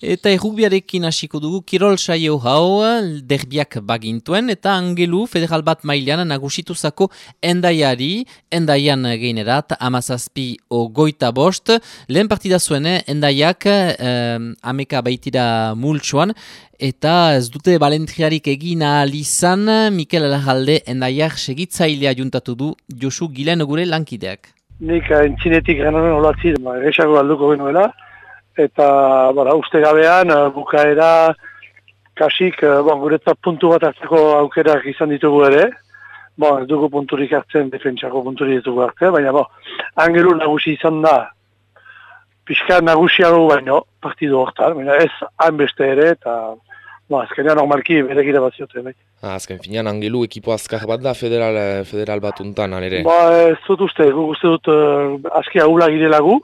Eta errugbiarekin hasiko dugu kirol saio hau derbiak bagintuen eta Angelu federal bat mailan nagusituzako endaian geinerat 17-5. Lehen partida zuen endaiak ameka baitira multsuan eta ez dute balentriarik egin ahal izan. Mikel Alajalde endaiak segitzailea juntatu du Josu Gilen gure lankideak. Nik entzinetik ganoen olatzi, egesago galduko genuela. Eta uste gabean bukaera kasik guretzat puntu bat hartzeko aukerak izan ditugu ere. Ez dugu punturik hartzen, defentsako punturik ditugu hartzen, baina Angelu nagusi izan da. Pixka nagusiago baino, partidu hortan, baina ez hainbeste ere, eta azkenean normalki berekira bat zioten. Bai. Azken finean Angelu ekipo azkar bat da federal bat untan, alere? Ez dut uste, guk uste dut aski ahula girela gu.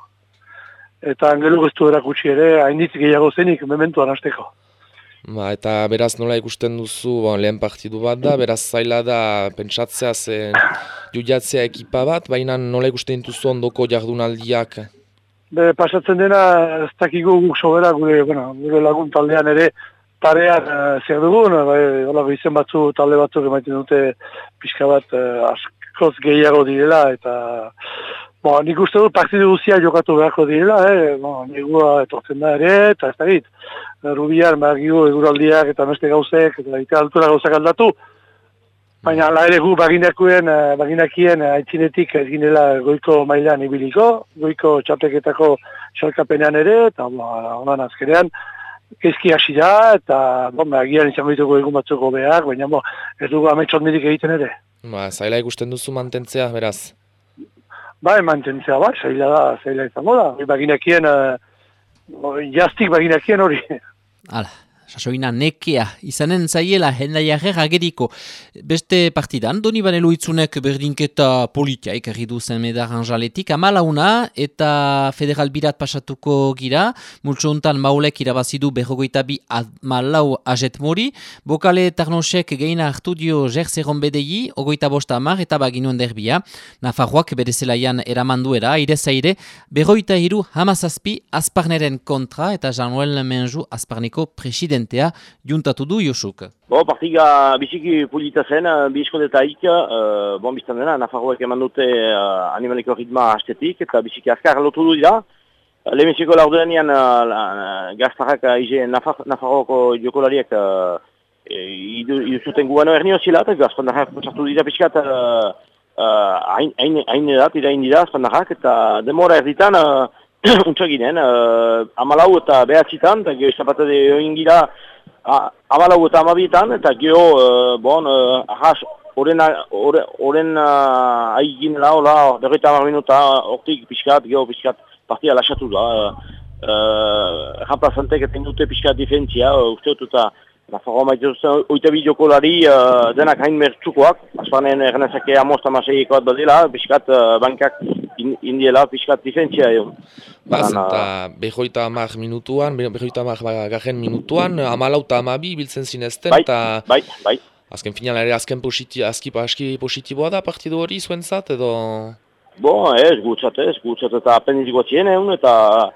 Eta Angelu guztu erakutsi ere, hainitz gehiago zenik, mementuan hasteko. Eta beraz nola ikusten duzu, lehen partidu bat da, beraz zaila da pentsatzea judiatzea ekipa bat, baina nola ikusten duzu ondoko jardunaldiak? Pasatzen dena, ez dakigu guk sobera gure lagun taldean ere, parean zer dugun, izen batzu, talde batzuk emaiten dute pixka bat askoz gehiago direla, eta nik uste dut partidu guzia jokatu beharko direla, negua etortzen da ere, eta ez da git. Rubian, eguraldiak eta beste gauzek, eta altura gauzak aldatu. Baina ala ere gu baginakien aitzinetik ez ginela goiko mailan ibiliko, goiko txapeketako xalkapenean ere, eta honan azkenean, kezki hasi da, eta agian izango ditugu egun batzuko behar, baina ez dugu ametsot mirik egiten ere. Zaila ikusten duzu mantentzea, beraz? Mantentzea zaila izango da. Baginakien, jaztik baginakien hori. Hala, sasoina nekea, izanen zaiela endaiarrer ageriko. Beste partidan, Donibane Loitzunek berdinketa politia ekarri du Zenmedar Anjaletik, 14 eta federal birat pasatuko gira, multso hontan Maulek irabazidu 42 ajet mori, Bokale Tarnosek geina hartu dio Jerzeron bedei, 25 eta baginuen derbia, Nafarroak bere zelaian eramanduera, irezaire, 43 Azparneren kontra eta Jean-Noël Menju Azparneko presidentea juntatu du Josuk. Partiga biziki polita zen, bizkodetaik, biztan dena, Nafarroek eman dute animaliko ritma hastetik, eta biziki azkar lotu du dira. Lehemeziko laurdenean gaztarrak Nafarroko jokolariek iduzuten guano ernio zilat, azpandarrak pasatu dira pixkat hain edat, irain dira azpandarrak, eta demora erditan untxaginen, 14 eta behatzitan, eta geho izapatade join gira 14 eta 12etan, eta geho, ahas, horren aiginela, hola, 50 minuta, hortik pixkat, geho pixkat, partia lasatu da. Ramplazantek eten dute pixkat defentzia, uste dut eta Nafarroa maitezuzen oitabi jokolari denak hain mertsukoak, azpanen ernezake amostamaseiikoat badela, pixkat bankak indiela pixkat defentzia egon. Eta behoita hamar minutuan, garen minutuan, 14 eta 12 biltzen zinezten, eta bai. Azken final ere azki positiboa da partidu hori zuentzat, edo? Ez gutzat eta apendiz guatzien egun, eta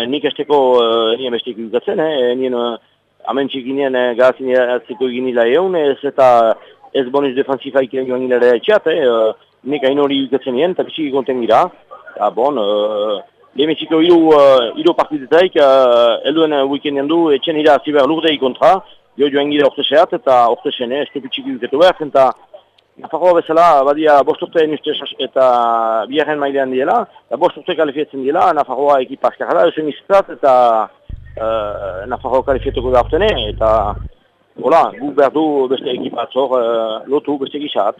nik esteko nien bestik gugatzen, nien amentxik ginen gazin eratzeko eginila egun, ez bonus defensifaik joan gilera etxat, nik hain hori gugatzen nien, eta biziki konten gira. Lehemeziko hiru partidetaik, elduen weekendean du, etxen ira ziber lurdei kontra, joan gira orteseat, eta ortesen ez dupitxiki gugetu behar, eta Nafarroa bezala, badia bosturteen ustez eta biharren mailean diela, eta bosturte kalifietzen diela, Nafarroa ekipa askarra, eusen izatat, eta Nafarroa kalifietuko da ortene, eta guk behar du beste ekipatzor lotu beste gizat.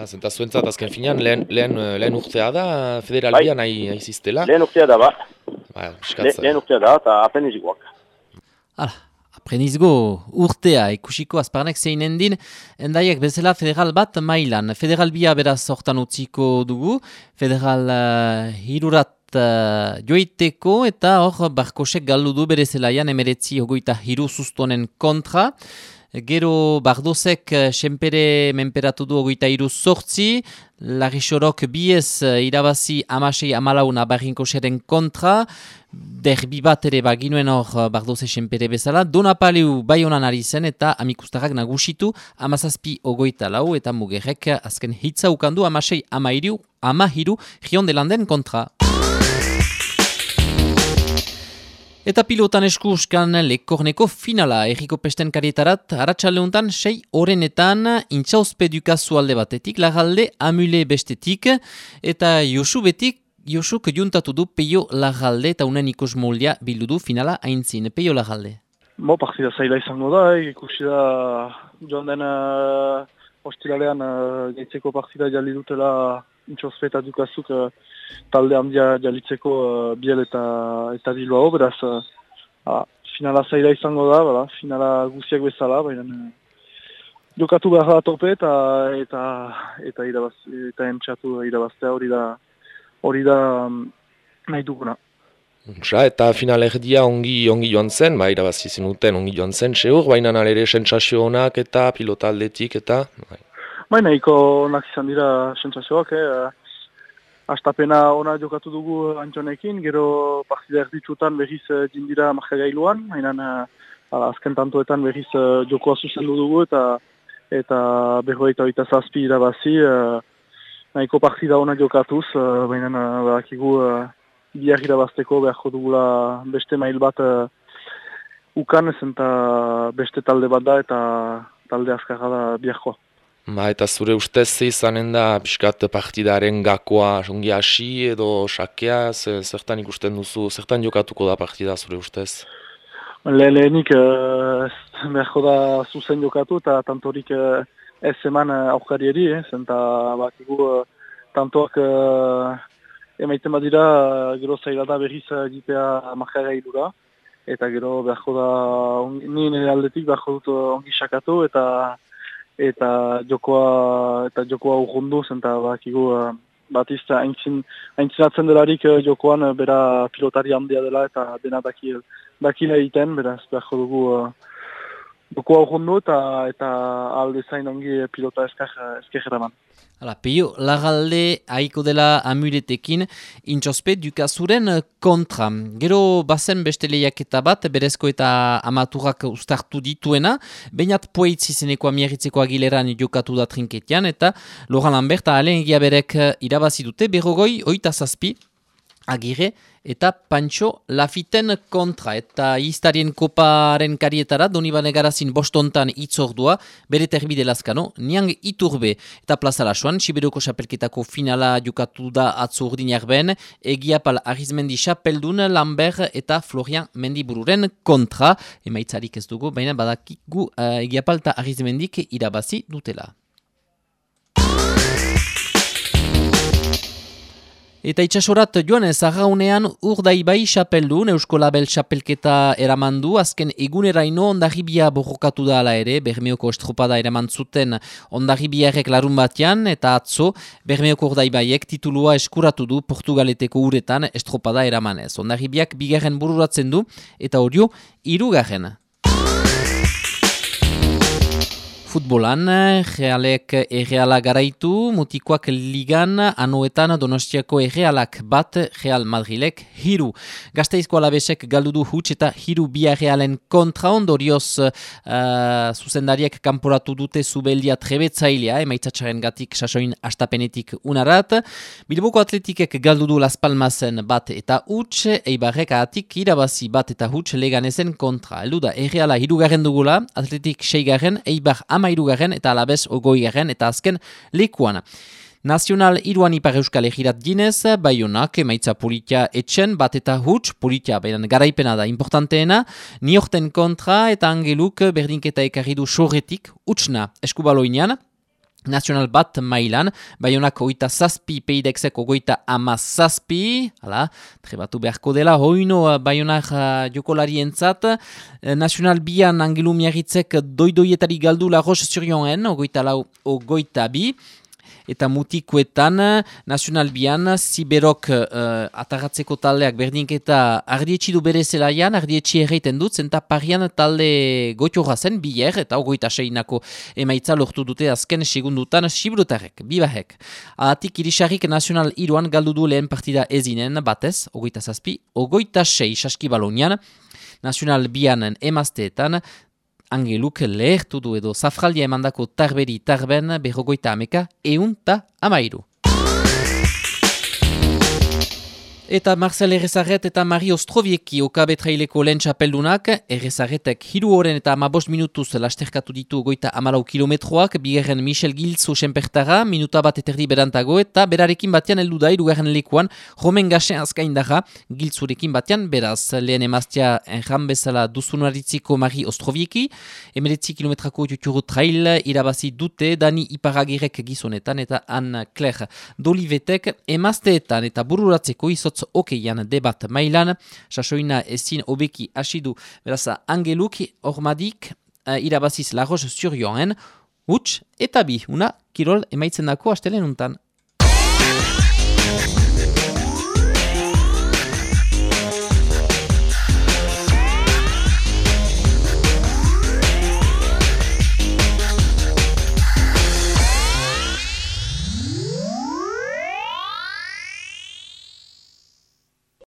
Zenta zuentzat azken finean, lehen urtea da, federalbian aiziztela? Lehen urtea da, lehen urtea da, eta aprenizikoak. Aprenizgo urtea ikusiko Azparnek zeinen din, endaiek bezala federal bat mailan. Federal bia beraz hortan utziko dugu, federal hirurat joiteko eta hor Barkosek galdu du bere zelaian 19-23 sustonen kontra. Gero Bardozek senpere menperatu du 23-8, Larixorok biez irabazi 16-14 Nabarrinkoseren kontra, derbi bat ere baginuen hor Bardoze senpere bezala, Donapaleu Baionan ari zen eta amikustarrak nagusitu 17-24 eta Mugerrek azken hitza ukandu 16-13 Gion de Landen kontra. Eta pilotan eskuskan lekorneko finala erriko pesten karietarat, arratsaldeuntan 6 horenetan intxauzpedukazu alde batetik, Larralde Amule bestetik, eta Josuk juntatu du Peio Larralde eta unen ikus moldia bildu du finala aintzin. Peio Larralde. Partida zaila izango da, ikusi da joan den ostiralean gaitzeko partida jali dutela intxauzpetadukazuk talde handia jalitzeko Biel eta Bilbao, beraz finala zaila izango da, finala guziak bezala, baina jokatu behar da tope eta entxatu irabaztea hori da nahi duguna. Eta final erdia ongi joan zen, irabazi zenuten ongi joan zen, seur, baina nalere sentsazio honak eta pilota aldetik eta... Baina nahiko onak izan dira sentsazioak, Astapena ona jokatu dugu Antxonekin, gero partida erditsutan berriz jindira markagailuan, azken tantoetan berriz jokoa zuzendu dugu eta 47 irabazi, nahiko partida ona jokatuz, baina badakigu biar irabazteko beharko dugula beste mail bat ukan, eta beste talde bat da eta talde azkarra da biharkoa. Eta zure ustez izanen da pixkat partidaren gakoa ongi hasi edo sakea, zertan ikusten duzu, zertan jokatuko da partida zure ustez? Lehenik beharko da zuzen jokatu eta tantorik ez eman aurkarieri, zenta bakigu tantoak emaiten badira gero zaila da berriz egitea markagailura, eta gero beharko da, nire aldetik beharko dut ongi sakatu eta jokoa urrundu, zenta bakigu batizta aintzinatzen delarik jokoan bera pilotari handia dela eta dena dakila egiten, beraz beharko dugu jokoa urrundu eta aldezain ongi pilota eskerraman. Peio Larralde haiko dela Amuletekin intxospe dukazuren kontra. Gero bazen beste lehiaketa bat, berezko eta amaturak ustartu dituena, bainat poeitz izeneko amiarritzeko Agileran jokatu da trinketian, eta Laurent Lambert Alain Egiaberek irabazi dute, 27 Agirre eta Pancho Lafiten kontra. Eta Iztarien koparen karietara, Donibane Garazin bostontan itzordua, bere terbide Lazkano, Niang Iturbe eta Plaza Lasoan, Siberoko xapelketako finala jokatu da atzo urdin jarben, Egiapal Arizmendi xapeldun, Lambert eta Florian Mendibururen kontra. Emaitzarik ez dugu, baina badakigu Egiapal eta Arizmendik irabazi dutela. Eta itxasorat joanez, arraunean Urdaibai xapeldun, Eusko Label xapelketa eramandu, azken eguneraino Ondarribia borrokatu da ala ere, Bermeoko estropada eraman zuten Ondarribiarek larun batean, eta atzo Bermeoko Urdaibaiek titulua eskuratu du Portugaleteko uretan estropada eramanez. Ondarribiak 2. bururatzen du, eta Orio 3. Futbolan, Realek Erreala garaitu, Mutikoak ligan, Anoetan Donostiako Errealak bat, Real Madrilek 3. Gasteizko Alabesek galdu du huts eta 3 Realen kontra, ondorioz zuzendariek kanporatu dute Zubeldia trebetzailea, emaitzatxaren gatik sasoin astapenetik unarat. Bilboko Atletikek galdu du Las Palmasen bat eta huts, Eibarrek ahatik irabazi bat eta huts Leganezen kontra. Eldu da, Erreala 3. dugula, Atletik 6. Eibar 13. eta Alabez 20. eta azken lekuan. Nazional 3 ipar euskal egirat ginez, Baionak emaitza politia etxen, bat eta huts, politia beran garaipena da importanteena, Niorten kontra eta Angeluk berdinketa ekarri du sorretik, hutsna eskubaloinean, Nazional bat mailan, Baionak 27, Peidexek 37, trebatu beharko dela, hoino Baionak jokolarientzat, Nazional bian Angelu Miarritzek doidoietari galdu La Roche-sur-Yonen, 24, Eta mutikoetan, Nacional Bian, Ziberok atagatzeko taldeak berdinketa ardietxidu bere zelaian, ardietxi erreiten dut, zenta parian talde goitioa zen, bier, eta 26ko emaitza lortu dute azken segundutan Sibrutarek, bibahek. Atik irisarrik Nacional Iruan galdu du lehen partida ezinen, batez, 27, 26 Saskibalonian, Nacional Bianen emazteetan, Angeluk lehertu du edo zafraldia emandako tarberi tarben 50 eta 13. Eta Marcel Errezaret eta Mari Ostrovieki okabetraileko lehen txapeldunak, Errezaretek 3 horen eta 15 minutuz lasterkatu ditu 54 kilometroak, bigarren Michel Giltzo senpertara, minuta bat eterdi berantago, eta berarekin batean heldu da hirugarren lekuan, Romen Gasen azkaindara, Giltzurekin batean, beraz, lehen emaztea enjan bezala duzunaritziko Mari Ostrovieki, 19 kilometrako juturu trail irabazi dute, Dani Iparagirek gizonetan, eta Anne Claire Dolivetek emazteetan eta bururatzeko izotz okeian debat mailan, sasoina ezin obeki asidu, beraz, Angeluk, Ormadik, irabaziz Laroz Zurioen, huts eta bi, una kirol emaitzen dako astelen untan.